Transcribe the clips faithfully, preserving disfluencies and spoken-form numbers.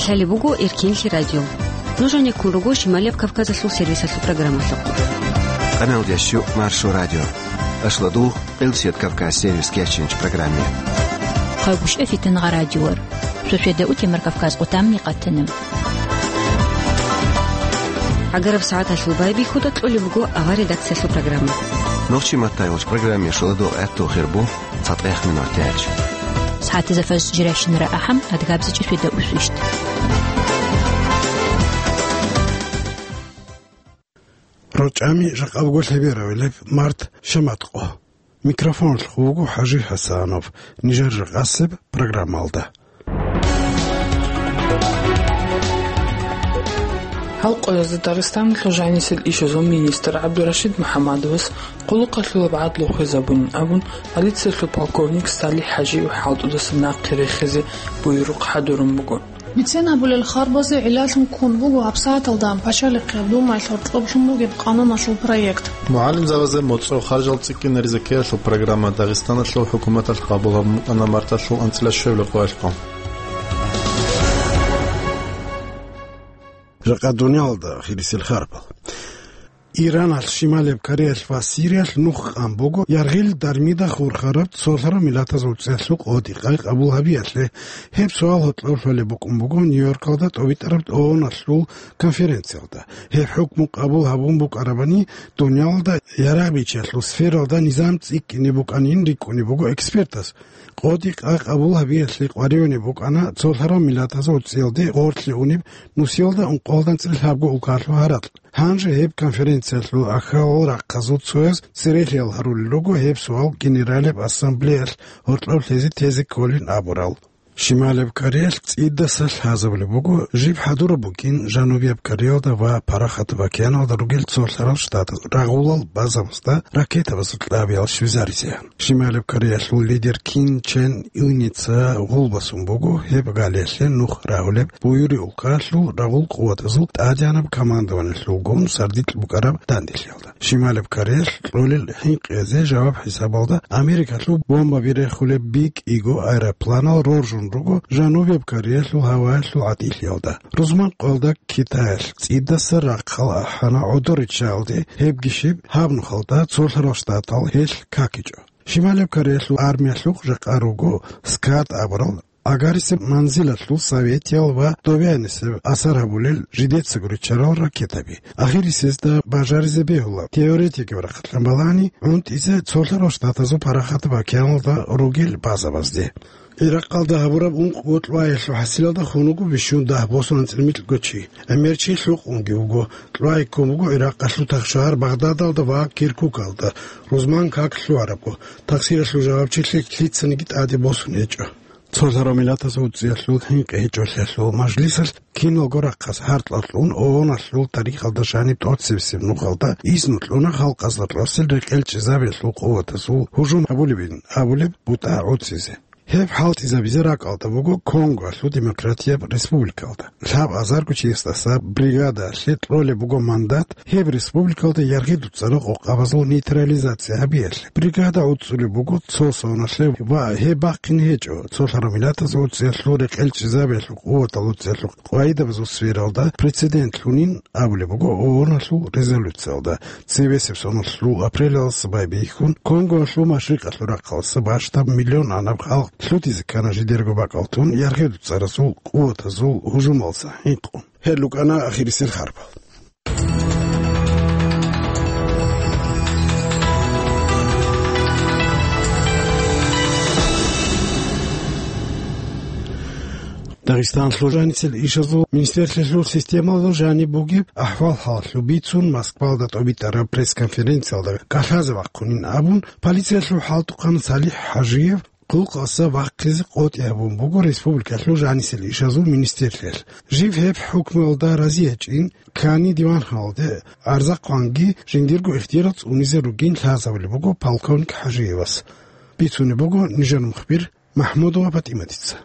Гьале буго Эркенлъи радио. Нуж гьанеккун руго Шималияб Кавказалъул сервисалъул программалъухъ. Къаналдящу Маршо радио. Ашладу Къилсият Кавказ сервис кечинч программе. Хъагушев Фитангъа радиор. Шошеда утемар Кавказ къутамни къатана. Агараб сагӀаталъул байбихьуда кьолеб буго авар редакциялъул программа. Нохчи маттайгъулч программе шуладу гӀатту хирбу. ЦатӀех минутач. СагӀатизе фаж жирайщинара ахӀам, адгабзичӀи фида усвищт. РочӀами жакъа буго лъеберавилеб март шаматкъо. Микрофоналъухъ вуго ХӀажи ХӀасанов. Нижер жакъасеб программалда. Гьал къоязда Дагъистаналъул жанисел ишазул министр ГӀабдурашид МухӀаммадовас къулухъалъулаб гӀадлу хвезабунин абун, полициялъул полковник Салих ХӀажиев хӀалтӀудаса нахъе рехизе буюрухъ хӀадурун буго. Бицен гьабулел харбазе гӀиллалъун ккун буго гьабсагӀаталда Пачалихъе Думаялъ гьоркьоблъун бугеб къануналъул проект. МугӀалимзабазе моцӀрол харжал цӀикӀкӀинаризе ккеялъул программа Дагъистаналъул хӀукуматалъ къабул гьабун букӀана марталъул анцӀила щуябилеб къоялъухъ. Жакъа дуниялалда хирисел харбал. Иранал, Шималеб Кореялъ ва Сириялъ нух къан буго яргъил дармида хурхараб цолъараб миллатазул цӀеялъул къотӀи-къай къабул гьабиялъе. Гьеб суал гьоркьоб лъолеб букӀун буго Нью-Йоркалда тӀобитӀараб ООНалъул конференциялда. Гьеб хӀукму къабул гьабун букӀарабани, дуниялалда ярагъ бичиялъул сфералда низам цӀикӀкӀине букӀанин рикӀкӀунеб буго экспертаз. КъотӀи-къай къабул гьабиялъе къваригӀунеб букӀана цолъарал миллатазул цӀиялде гъорлъе унеб нусиялда ункъоялда анцӀила лъабго улкалъул гьаракь. Гьанже гьеб конференциялъул ахьалал рахъазул цояз церехиял гьарулел руго гьеб суал Генералияб Ассамблеялъ гьоркьоб лъезе тезе кколин абурал. Шималеб Кореялъ цӀидаса лъазабулеб буго, жиб хӀадураб букӀин Жанубияб Кореялда ва Парахатаб океаналда ругел цолъарал штатаз рагъулал базабазда ракетабазул кьабиял щвезаризе. Шималеб Кореялъул лидер Ким Чен Ыница гъулбасун буго гьеб галиялъе нух рагьулеб буюри улкалъул рагъул къуватазул тӀадегӀанаб командованиялъулгун сардилъ букӀараб данделъиялда. Шималеб Кореялъ кьолел хӀинкъизе жаваб хӀисабалда Америкалъул бомбаби рехулеб бикӀиго аэропланал роржун руго Жанубияб Кореялъул гьаваялъул гӀатӀилъиялда. Рузман къоялда Китаялъ цӀидаса рахъал ахӀана гӀодор риччаялде, гьебги щиб, гьаб нухалда цолъарал штатал гьелъ какичӀо. Шималеб Кореялъул армиялъухъ жакъа руго скад абурал, агарисеб манзилалъул советиял ва довианисеб асар гьабулел жидецаго риччарал ракетаби. Ахирисезда бажаризе бегьула, теоретикаб рахъалъан балагьани, гӀунтӀизе цолъарал штатазул Парахатаб океаналда ругел базабазде. Иракъалда гьабураб ункъ-бокьуаялъул хӀасилалда хун вуго бищун дагь босун анцӀила микьго чи. ГӀемер чи лъукъунги вуго. Кьуай ккун буго Иракъалъул тахшагьар Багъдадалда ва Киркукалда, рузман как лъугьарабго, тахсиралъул жавабчилъи лъицаниги тӀаде босун гьечӀо. Цолъарал миллатазул цӀиялъул хӀинкъи гьечӀолъиялъул мажлисалъ киналго рахъас гьаркьалъун ООНалъул тарихалда жаниб тӀоцебесеб нухалда изну кьуна халкъазда тӀасел рекъел чӀезабиялъул къуватазул гьужум гьабулебин абулеб бутӀа гӀуцизе. Гьеб хӀалтӀизабизе ракӀалда буго Конголъул Демократияб Республикалда. Лъаб азарго чиясдаса бригадаялъе кьолеб буго мандат гьеб республикалда яргъи дуцӀарал къокъабазул нейтрализация гьабиялъе. Бригада гӀуцӀулеб буго цо соналъе ва гьеб бахъине гьечӀо цолъарал миллатазул цӀиялъул рекъел чӀезабиялъул къуватал цӀиялъул къвайдабазул сфералда прецедентлъунин абулеб буго ООНалъул резолюциялда. Цебесеб соналъул апрелалдаса байбихьун, Конголъул машрикъалъул рахъалдаса бащдаб миллион анаб халкъ лъутизе ккана жидерго бакӀалдун яргъи дуцӀаразул къуватазул гьужумалдаса хӀинкъун. Гьел рукӀана ахирисел харбал. Дагъистаналъул жанисел ишазул министрлъиялъул системалда жаниб бугеб ахӀвал-хӀалалъул бицун Москвалда тӀобитӀараб пресс-конференциялда кӀалъазе вахъунин абун, полициялъул хӀалтӀухъан Салих ХӀажиев къулухъалдаса вахъизе къотӀи гьабун буго республикалъул жанисел ишазул министрлъиялъ. Жив гьеб хӀукмуялда рази гьечӀин, ккани диван-хӀалалде гӀарза хъванги, жиндирго ихтияр цӀунизе ругин лъазабулеб буго полковник ХӀажиевас. Бицунеб буго нижер мухбир МахӀмудова ПатӀиматица.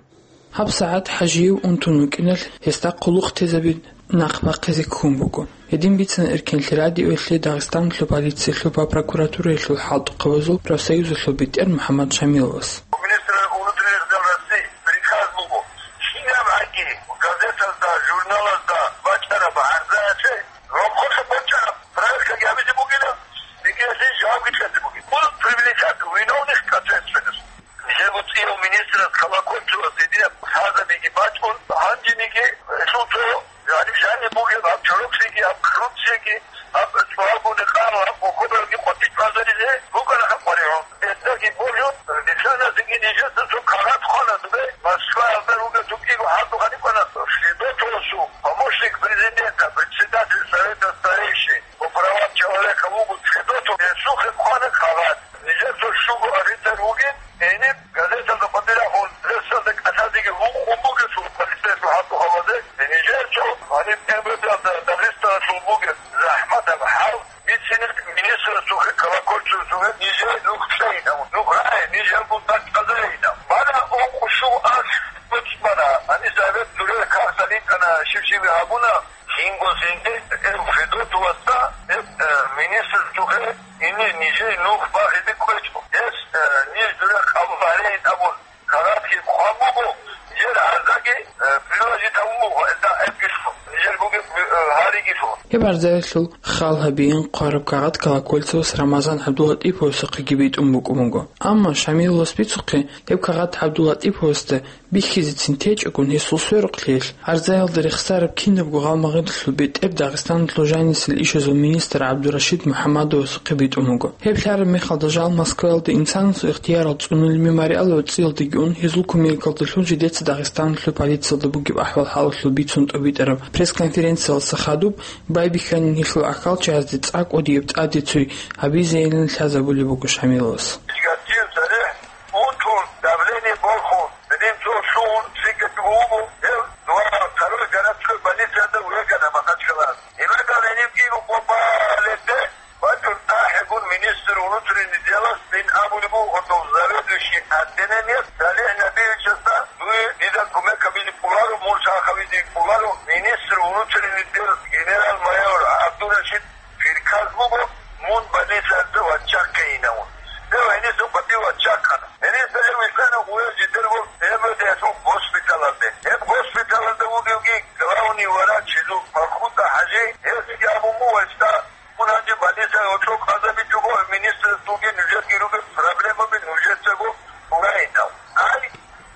ГьабсагӀат ХӀажиев унтун вукӀиналъ, гьесда къулухъ тезаби нахъ бахъизе ккун буго. Гьедин бицана Эркенлъи радиоялъе Дагъистаналъул полициялъул ва прокуратураялъул хӀалтӀухъабазул профсоюзалъул бетӀер МухӀаммад Шамиловас. Министр внутренних дел России приказ буго, кигӀан гӀаги газеталъ Гьаб къокъобалги къватӀиб базаризе букӀана гьаб къваригӀун. Гьездаги болев, нилъаназеги нижеца цо кагъат хъвана дубе, Москваялда ругел цо кӀиго гьардухъ гьаниб ккана, Федотовасул помощник президента, председатель Совета старейшин по правам человека вуго Федотов, гьесухъе хъвана кагъат. Нижер цо щуго офицер вугин, гьениб газеталда къватӀирахун, прессалда кӀалъазеги гьукъун бугелъул, полицейского гьардухъ гьавазе, нижер цо гьаниб МВД-алда Дагъистаналъул бугеб захӀматаб хӀал бицина министрасухъе, Колокольцевасухъе, нижер нух кьейилан, нух рагӀе, нижер гунда чӀвазейилан. Бана ункъо-щуго аш буцӀ бана, гьаниб Совет дуре кагътал рикӀкӀана, щиб-щиб гьабуна, жинго-жинде, э, Федотовасда, э, э, министрасухъе, Гьенир нижее нух багьизе кквечӀо. Гьес, э, ниж дуре къабул гьарейин абун, кагъатги хъван буго, нижер гӀарзаги, э, приложить гьабун буго, гьелда гьебги лъун, нижер бугеб, э, гьаригилъун. Гьеб гӀарзаялъул хал гьабиин хъвараб кагъат Колокольцевас Рамазан ГӀабдулатӀиповасухъеги битӀун букӀун буго. Амма Шамиловас бицухъе, гьеб кагъат ГӀабдулатӀиповасда бихьизецин течӀогун гьесул сверухълъиялъ, гӀарзаялда рехсараб кинабго гъалмагъидалъул бетӀер Дагъистаналъул жанисел ишазул министр ГӀабдурашид МухӀаммадовасухъе битӀун вуго. Гьеб лъараб мехалда жал Москваялда инсанасул ихтиярал цӀунулеб мемориалалъул цӀиялдаги ун, гьезул кумекалдалъун жидеца Дагъистаналъул полициялда бугеб ахӀвал-хӀалалъул бицун тӀобитӀараб пресс-конференциялдаса хадуб байбихьанин гьелъул ахӀалчагӀазде цӀакъ кӀудияб тӀаде цой гьабизейилан лъазабулеб буго Шамиловас. Ун тун, давление борхун, гьедин цо лъугьун, цӀикӀкӀун вуго, гьев дова второй городской больницаялда вегана Махачкалаялда. Гьеб гьаниб кӀиго къо балеб бакӀун ахӀегун министр внутренних делас бин абулеб буго гьудул заведующий отделениялъ СалихӀ Набиевичасда, дуе дида кумек гьабизе кӀоларо, мун лъахъавизе кӀоларо, министр внутренних дел генерал-майор ГӀабдурашид приказ буго, мун больницаялда ваччахъейилан. Гьев гьениса къватӀив ваччахъана. Гьениса гьев вихьана гъуя жидерго МВД-ялъул госпиталалде. Гьеб госпиталалда вугевги главный врач гьезул Бархуда ХӀажи, гьесги абун буго гьесда, мун гьанже больницаялда гьоркьоб къазабичӀого, министрасулги нужерги ругел проблемаби нужецаго гьурайилан. Ай,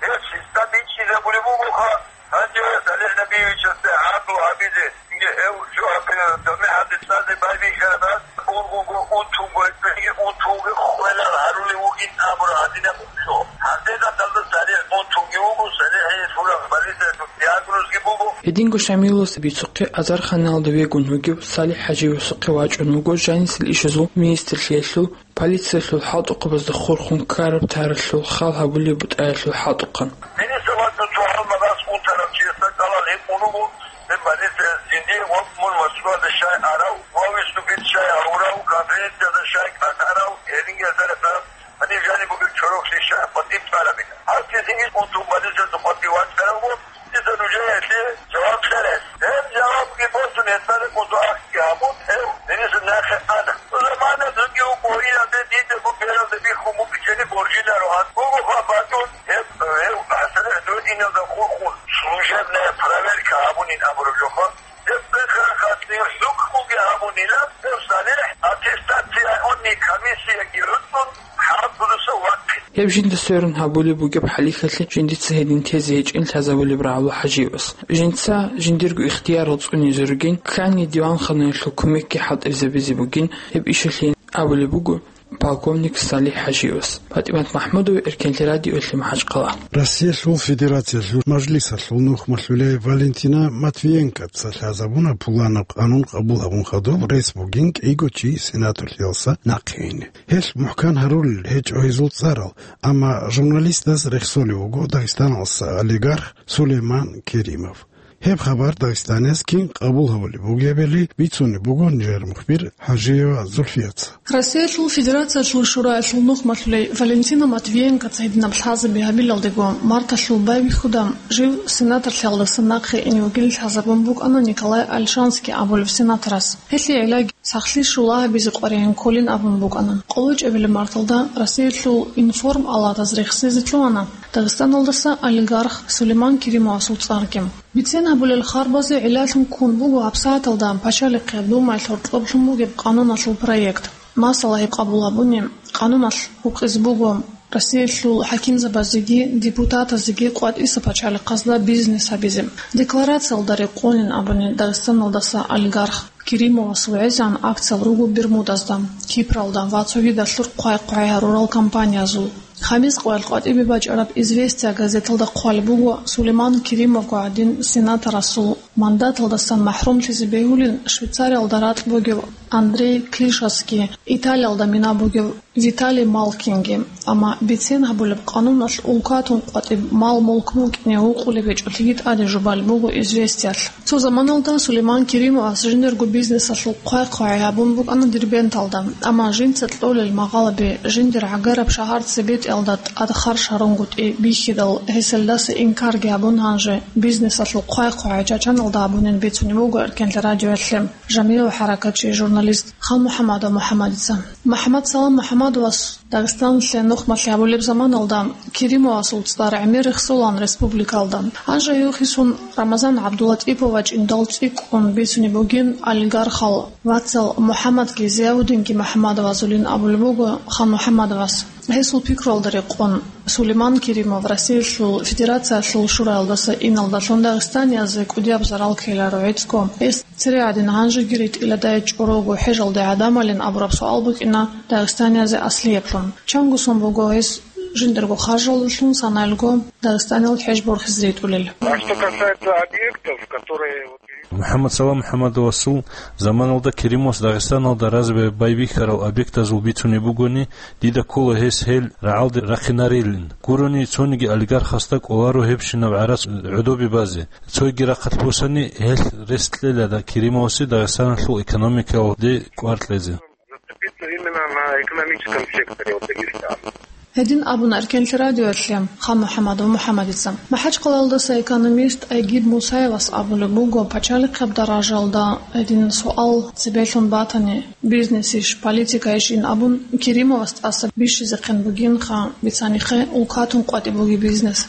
гьес гьесда бичӀчӀизабулеб бугоха. Гьанже СалихӀ Набиевичасда гӀадлу гьабизе, гьев жо гьабизе, даме гьаде цӀазе байбихьараб, ургуго, унтунго, гьебги унтунги хвелал гьарулев вугин абураб гьадинаб жо. Гьанже гьадалда СалихӀ унтунги вуго, СалихӀие лъураб полициялъул диагнозги буго. Гьединго Шамиловас бицухъе азарханалда вегун вугев СалихӀ ХӀажиевасухъе вачӀун вуго жанисел ишазул министрлъиялъул полициялъул хӀалтӀухъабазда хурхун ккараб таралъул хал гьабулеб бутӀаялъул хӀалтӀухъан. Гьениса вачӀун цо гьалмагъас унтарав чиясда кӀалал гьикъун вуго, гьеб больницаялъ жиндие ва мун Москвада щай арав ва виступить щай гьавурав, конференциялда щай кӀалъарав, гьединги азарихъараб, гьаниб жаниб бугеб чорохълъи щай къватӀиб цӀалабилан. Гьаб цинги унтун больницаялда къватӀив вачӀаравго, дица нужее гьелъие жаваб кьела. Гьеб жавабги босун, гьесда рекъон цо ахги гьабун, гьев гьениса нахъе ана. Замана цоги вукӀугьиялде дида бералда бихьун букӀинчӀеб боржинаро гьанже. Буго хабар батун, гьеб, гьев ГӀасилихӀ дугӀиналда хурхун, служебная проверка гьабунин абураб жоха. Гьеб бихьарахъалъе хӀукмуги гьабунила, гьев СалихӀ аттестацияунни комиссияги гӀуцӀун, хӀалтӀудаса вахъин. Гьеб жинда сверун гьабулеб бугеб хӀалихьалъе жиндица гьедин тезе гьечӀин лъазабулеб рагӀула ХӀажиевас. Жинца жиндирго ихтиярал цӀунизе ругин, ккани диванханаялъул кумекги хӀалтӀизабизе бугин, гьеб ишалъе абулеб буго полковник СалихӀ ХӀажиевас. ПатӀимат МахӀмудова, Эркенлъи радио, МахӀачхъала. Россиялъул Федерациялъул Мажлисалъул нухмалъулей Валентина Матвиенкоца лъазабуна пуланаб къанун къабул гьабун хадуб рес бугин кӀиго чи сенаторлъиялдаса нахъе ине. Гьелъ мухӀкан гьарулел гьечӀо гьезул цӀарал, амма журналистаз рехсолев вуго Дагъистаналдаса олигарх Сулейман Керимов. Гьеб хабар Дагъистанияс кин къабул гьабулеб бугебали бицунеб буго нижер мухбир ХӀажиева Зульфияца. Россиялъул Федерациялъул Шураялъул нухмалъулей Валентина Матвиенкоца гьединаб лъазаби гьабилалдего, марталъул байбихьуда жив сенаторлъиялдаса нахъе ине вугин лъазабун букӀана Николай Ольшанский абулев сенаторас. Гьелъие гӀиллаги, сахлъи щула гьабизе къваригӀун кколин абун букӀана. КъолочӀебилеб марталда Россиялъул информ-алатаз рехсезе лъугьана Дагъистаналдаса олигарх Сулейман Керимовасул цӀарги. Бицен гьабулел харбазе гӀиллалъун ккун буго гьабсагӀаталда Пачалихъе Думаялъ гьоркьоблъун бугеб къануналъул проект. Масала, гьеб къабул гьабуни, къануналъ гьукъизе буго Россиялъул хӀакимзабазеги депутатазеги къватӀиса пачалихъазда бизнес гьабизе. Декларациялда рекъонин абуни Дагъистаналдаса олигарх Керимовас вугӀезегӀан акциял руго Бермудазда, Кипралда ва цогидалъур хъвай-хъвай гьарурал компаниязул. Хамис къоялъ къватӀибе бачӀараб «Известия» газеталда хъвалеб буго Сулейман Керимовго гӀадин сенаторасул мандаталдасан махӀрумлъизе бегьулин Швейцариялда ракь бугев Андрей Клишевский, Италиялда мина бугев Виталий Малкинги. Амма бицен гьабулеб къануналъ улкатун къватӀиб мал-мулк букӀине гьукъулеб гьечӀолъиги тӀаде жубалеб буго «Известиялъ». Цо заманалда Сулейман Керимовас жиндирго бизнесалъул хъвай-хъвай гьабун букӀана Дербенталда, амма жинца кьолел магъалаби жиндир гӀагараб шагьар цебетӀиялда тӀад харж гьарунгутӀи бихьидал, гьесилдаса инкарги гьабун, гьанже бизнесалъул хъвай-хъвай Чачаналда гьабунин бицунеб буго Эркенлъи радиоялъе жамигӀ хӀаракатчи, журналист Халмухамадов МухӀамадица. МухӀамадсалам МухӀамадовас Дагъистаналъе нухмалъи гьабулеб заманалда Керимовасул цӀар гӀемер рехсолан республикалда. Гьанже гьев хисун Рамазан ГӀабдулатӀипов вачӀиндал цӀикӀкӀун бицунеб бугин олигархал вацал МухӀаммадги Зияудинги МухӀамадовазулин абулеб буго Халмухамадовас. Гьесул пикруялда рекъон, Сулейман Керимов Россиялъул Федерациялъул Шураялдаса иналдалъун дагъистаниязе кӀудияб зарал ккеларо гӀицӀго. Гьес цере гӀадин гьанжеги ритӀиладай чӀорого хӀежалде гӀадамалин абураб суал букӀина дагъистаниязе аслияблъун. Чанго сон буго гьес жиндирго харжалдалъун санаялго Дагъистанил хӀеж борхизе ритӀулел. А что касается объектов, которые вот МухӀаммадсалам МухӀамадовасул заманалда Керимовас Дагъистаналда разбай байбихьарал объектазул бицунеб бугони, дида ккола гьес гьел рагӀалде рахъинарилин. Гурони цониги олигархасда кӀоларо гьебщинаб гӀарац гӀодобе базе. Цойги рахъалъ босани, гьелъ рес кьела Керимовасе Дагъистаналъул экономикалде кӀвар кьезе. Зацепиться именно на экономическом секторе вот Дагестана. Гьедин абуна Эркенлъи радиоялъе Халмухамадов МухӀамадица. МахӀачхъалаялдаса экономист Айгид Мусаевас абулеб буго, пачалихъаб даражалда гьедин суал цебелъун батани, бизнесищ, политикайищ ин абун, Керимовас тӀаса бищизехъин бугинха, бицанихъе, улкатун къватӀиб бугеб бизнес.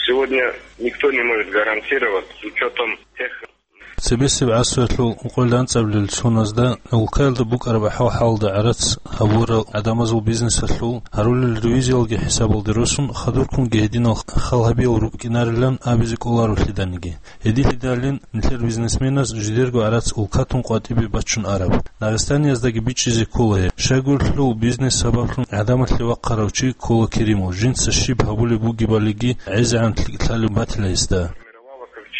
Сегодня никто не может гарантировать с учётом тех Цебесеб гӀасруялъул ункъоялда анцӀабилеб цоназда улкаялда букӀараб ахӀвал-хӀалалда гӀарац гьабурал гӀадамазул бизнесалъул гьарулел ревизиялги хӀисабалде росун, хадурккунги гьединал хал гьабиял рукӀинарилан абизе кӀоларо лъиданиги. Гьединлъидалин нилъер бизнесменаз жидерго гӀарац улкатун къватӀибе бачун араб. Дагъистанияздаги бичӀчӀизе ккола гьеб. Щайгурелъул бизнес сабаблъун гӀадамалъе вахъарав чи ккола Керимов, жинца щиб гьабулеб бугебалиги гӀезегӀан лъикӀлъалеб батила гьесда.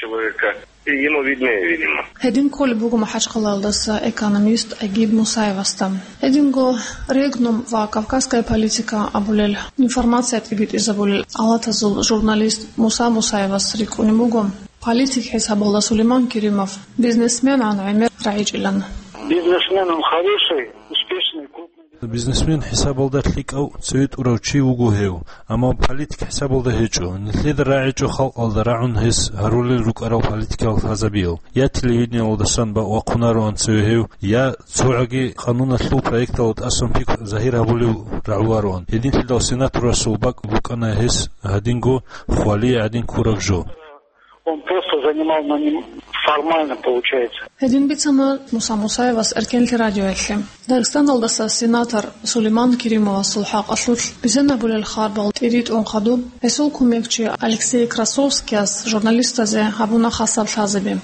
Человека. И ему виднее, видимо. Гьедин кколеб буго МахӀачхъалаялдаса экономист Айгид Мусаевасда. Гьединго «Регнум» ва «Кавказская политика» абулел информация тӀибитӀизабулел алатазул журналист Муса Мусаевас рикӀкӀунеб буго, политик хӀисабалда Сулейман Керимов бизнесменгӀан гӀемер рагӀичӀилан. Бизнесмен он хороший, успешный, крупный. Бизнесмен хӀисабалда лъикӀав, цеве тӀурав чи вуго гьев, амма политик хӀисабалда гьечӀо. Нилъеда рагӀичӀо халкъалда рагӀун гьес гьарулел рукӀарал политикал лъазабиял. Я телевидениялдасан ба-, вахъунароан цеве гьев, я цогӀаги къануналъул проекталда тӀасан пикру загьир гьабулев рагӀувароан. Гьединлъидал сенаторасул бакӀ букӀана гьес гьадинго хвалие гӀадин ккураб жо. Он просто занимал, но не формально получается. Гьедин бицана Муса Мусаевас Эркенлъи радиоялъе. Дагъистаналдаса сенатор Сулейман Керимовасул хӀакъалъулъ бицинабулел харбал тӀиритӀун хадуб, гьесул кумекчи Алексей Красовскияс журналистазе гьабуна хасаб лъазаби.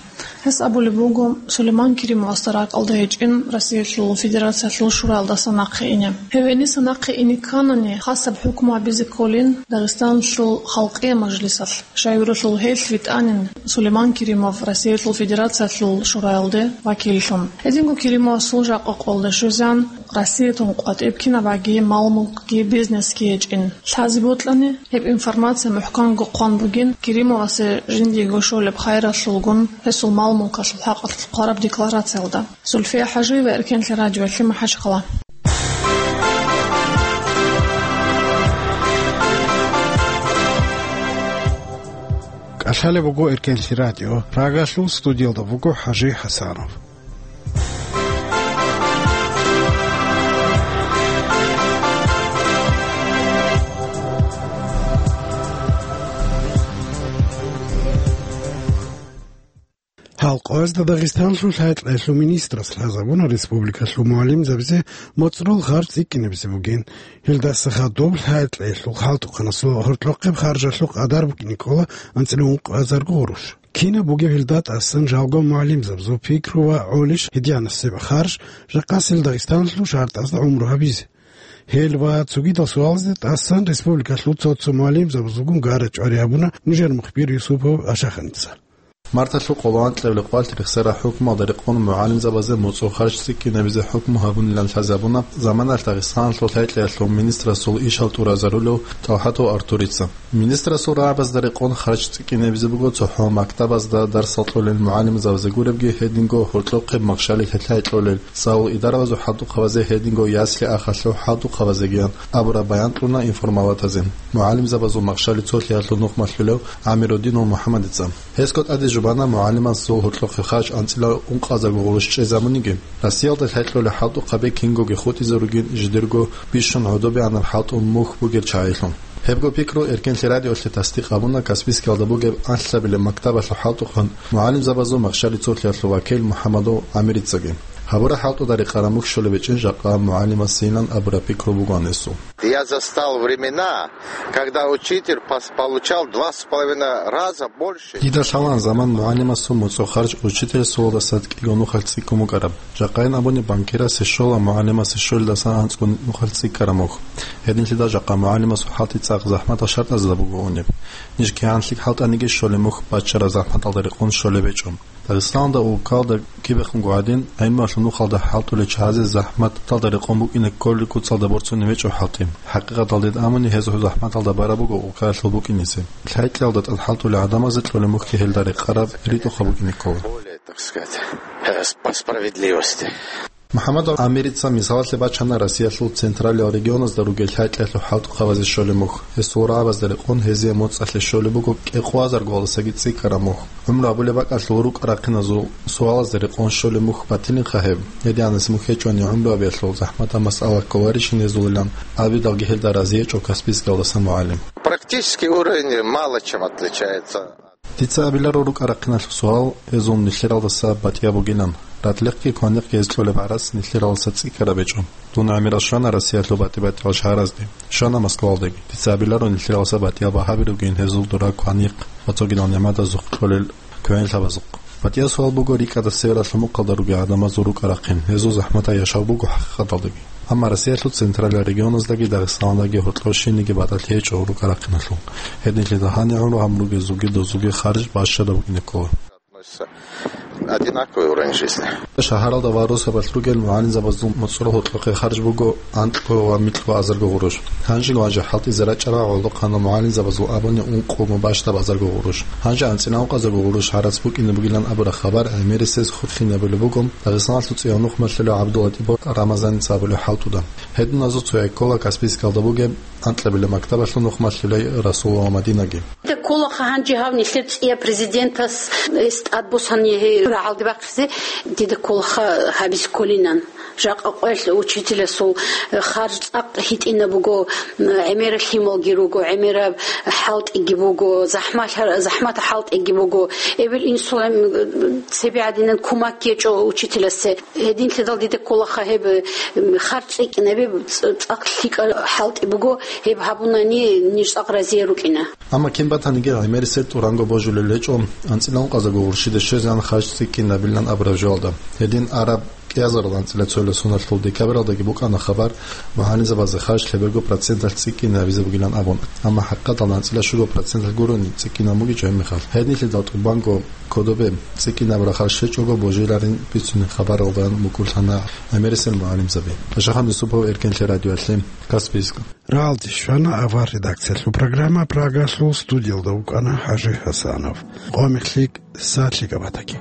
Гьес абулеб буго, Сулейман Керимовасда ракӀалда гьечӀин Россиялъул Федерациялъул Шураялдаса нахъе ине. Гьев гьениса нахъе ине кканани, хасаб хӀукму гьабизе кколин Дагъистаналъул Халкъие мажлисалъ. Щайгурелъул гьелъ витӀанин Сулейман Керимов Россиялъул Федерациялъул Шураялде вакиллъун. Гьединго Керимовасул жакъа къолда щвезан, Россиятун къватӀиб кинабаги мал-мулкги бизнесги гьечӀин. Лъазе бокьани, гьеб информация мухӀканго хъван бугин Керимовасе жиндиего щолеб хайралъулгун гьесул мал-мулкалъул хӀакъалъулъ хъвараб декларациялда. Зульфия ХӀажиева, Эркенлъи радиоялъе, МахӀачхъала. КӀалъалеб буго Эркенлъи радио, Прагалъул студиялда буго ХӀажи ХӀасанов. Гьалкъоязда Дагъистанлъул хӀалтӀиялъул министрас лъазабуна республикалъул мугӀалимзабизе моцӀрол харж цӀикӀкӀинабизе бугин. Гьелдаса хадуб хӀалтӀиялъул хӀалтӀухъанасул гьоркьохъеб харжалъул къадар букӀине ккола анцӀила ункъазарго гъурущ. Кинаб бугеб гьелда тӀасан жалго мугӀалимзабазул пикру ва гӀолищ гьединасеб харж жакъасел Дагъистаналъул шартӀазда гӀумру гьабизе? Гьел ва цогидал суалазда тӀасан республикалъул цо-цо мугӀалимзабазулгун гара-чӀвари гьабуна нужер мухбир Юсупов Ашаханица. Марталъул къоло анкьабилеб къвалъ рехсараб хӀукмуялда рекъон мугӀалимзабазе моцӀрол харж цӀикӀкӀинабизе хӀукму гьабунилан лъазабуна заманалъ Дагъистаналъул лъай-кьеялъул министрасул ишал тӀуразарулев ТӀалхӀатов Артурица. Министрасул рагӀабазда рекъон харж цӀикӀкӀинабизе буго цохӀо мактабазда дарсал кьолел мугӀалимзабазе гуребги, гьединго гьоркьохъеб Махщалилъ лъай кьолел, цӀалул идарабазул хӀалтӀухъабазе, гьединго ясли-ахалъул хӀалтӀухъабазегиян абураб баян кьуна информалатазе мугӀалимзабазул Махщали цолъиялъул нухмалъулев ГӀамирудинов МухӀаммадица. Гьесго тӀаде жубана мугӀалимасул гьоркьохъеб харж анцӀила ункъазарго гъурущ чӀезабуниги, Россиялда лъай кьолел хӀалтӀухъаби кингоги хутӀизе ругин жидерго бищун гӀодобегӀанаб хӀалтӀул мухь бугел чагӀилъун. Гьебго пикру Эркенлъи радиолъе тасдикъ гьабуна Каспийскиялда бугеб анлъабилеб мактабалъул хӀалтӀухъан мугӀалимзабазул Махщали цолъиялъул вакил МухӀаммадов ГӀамирицаги. Гьабураб хӀалтӀуда рекъараб мухь щолеб гьечӀин жакъа мугӀалимасейилан абураб пикру бугоан гьесул. Я застал времена, когда учитель пос-, получал два с половиной раза больше. Дида лъалаан заман мугӀалимасул моцӀрол харж учителасулалдаса кӀиго нухалъ цӀикӀкӀун букӀараб. Жакъайин абуни, банкирасе щола мугӀалимасе щолелдаса анцӀго нухалъ цӀикӀкӀараб мухь. Гьединлъидал жакъа мугӀалимасул хӀалтӀи цӀакъ захӀматал шартӀазда буго унеб. Ниж кигӀан лъикӀ хӀалтӀаниги щолеб мухь баччараб захӀматалда рекъон щолеб гьечӀо. Дагъистаналда, улкалда кибехунго гӀадин, гӀилмуялъул нухалда хӀалтӀулел чагӀазе захӀматалда рекъон букӀине кколел куцалда борцунеб гьечӀо хӀалтӀи. ХӀакъикъаталда гьед абуни, гьезул захӀматалда бараб буго улкаялъул букӀинизе. Лъай-кьеялда тӀад хӀалтӀулел гӀадамазе кьолеб мухьги гьелда рекъараб ритӀухъаб букӀине ккола. Более, так сказать, э, с-, по справедливости. МухӀаммадов ГӀамирица мисалалъе бачана Россиялъул централияб регионазда ругел лъай-кьеялъул хӀалтӀухъабазе щолеб мухь. Гьесул рагӀабазда рекъон гьезие моцӀалъе щолеб буго кӀикъоязарго гъаласаги цӀикӀкӀараб мухь. ГӀумру абулеб бакӀалъул рукӀа-рахъиназул суалазда рекъон щолеб мухь батилинха гьеб. Гьединаб мухь гьечӀони гӀумру абиялъул захӀматаб масъала кколарищин гьезулилан абидалги гьелда рази гьечӀо Каспийскиялдаса мугӀалим. Практический уровень мало чем отличается. Дица абиларо рукӀа-рахъиналъул суал гьезул нилъералдаса батӀияб бугилан. Ратлихъги кваникъги гьез кьолеб гӀарац нилъералдаса цӀикӀкӀараб гьечӀо. Дун гӀемерал щвана Россиялъул батӀи-батӀиял шагьаразде, щвана Москвалдаги. Дица абиларо нилъералдаса батӀияб гьаби ругин гьезул дора кваникъ ва цогидал нигӀматазухъ кьолел квегӀинлъабазухъ. БатӀияб суал буго рикӀкӀадасеб ралъумухъалда ругел гӀадамазул рукӀа-рахъин, гьезул захӀматал яшав буго хӀакъикъаталдаги. Амма Россиялъул централияб регионаздаги Дагъистаналдаги гьоркьов щинниги батӀалъи гьечӀо рукӀа-рахъиналъул. Гьединлъидал гьанир гӀумру гьабун ругезулги дозулги харж бащадаб букӀине ккола. Одинаковый уровень жизни. Шагьаралда ва росабалъ ругел мугӀалимзабазул моцӀрол гьоркьохъе харж буго анкьго ва микьго азарго гъурущ. Гьанжего-гьанже хӀалтӀизе рачӀарал гӀолохъанал мугӀалимзабазул абуни ункъго бащдаб азарго гъурущ. Гьанже анцӀила ункъазарго гъурущ гӀарац букӀине бугилан абураб хабар гӀемерисез хурхинабулеб буго Дагъистаналъул цӀияв нухмалъулев ГӀабдуллатӀипов Рамазаница абулеб хӀалтӀуда. Гьединазул цояй ккола Каспийскиялда бугеб анкьабилеб мактабалъул нухмалъулей Расулова Мадинаги. Дида кколаха гьанже гьав нилъер цӀияб президентас, гьес тӀадбуссани гьей рагӀалде бахъизе, дида кколаха гьабизе кколинан. Жакъа къоялъ учителасул, э, харж цӀакъ гьитӀинаб буго, м, гӀемераб лъималги руго, гӀемераб хӀалтӀиги буго, захӀмат-, захӀматал хӀалтӀиги буго. Эбел-инсулан, м, цебе гӀадинан кумак гьечӀо учителасе. Гьединлъидал дида кколаха гьеб, м, харж цӀикӀкӀинаб, ц-, цӀакъ лъикӀаб хӀалтӀи буго, гьеб гьабунани ниж цӀакъ разие рукӀина. Амма кин батаниги гӀемерисел тӀуранго божулел гьечӀо анцӀила ункъазарго гъурущида щвезегӀан харж цӀикӀкӀинабилан абураб жоялда. Гьедин араб кӀиазарал анцӀила цоял соналъул декабралдаги букӀана хабар, мугӀалимзабазе харж лъеберго проценталъ цӀикӀкӀинабизе бугилан абун. Амма хӀакъикъаталда анцӀила щуго проценталъ гурони цӀикӀкӀинаб бугичӀо гьеб мехалъ. Гьединлъидал тӀубанго кодобе цӀикӀкӀинабураб харж щвечӀого божиларин бицунеб хабаралдаан мукӀурлъана гӀемерисел мугӀалимзаби. Пашахан Юсупов, Эркенлъи радиоялъе, Каспийск. Рагьалде щвана авар редакциялъул программа. Прагалъул студиялда вукӀана ХӀажи ХӀасанов. Къо мехлъи, сагӀатлъи габатаги.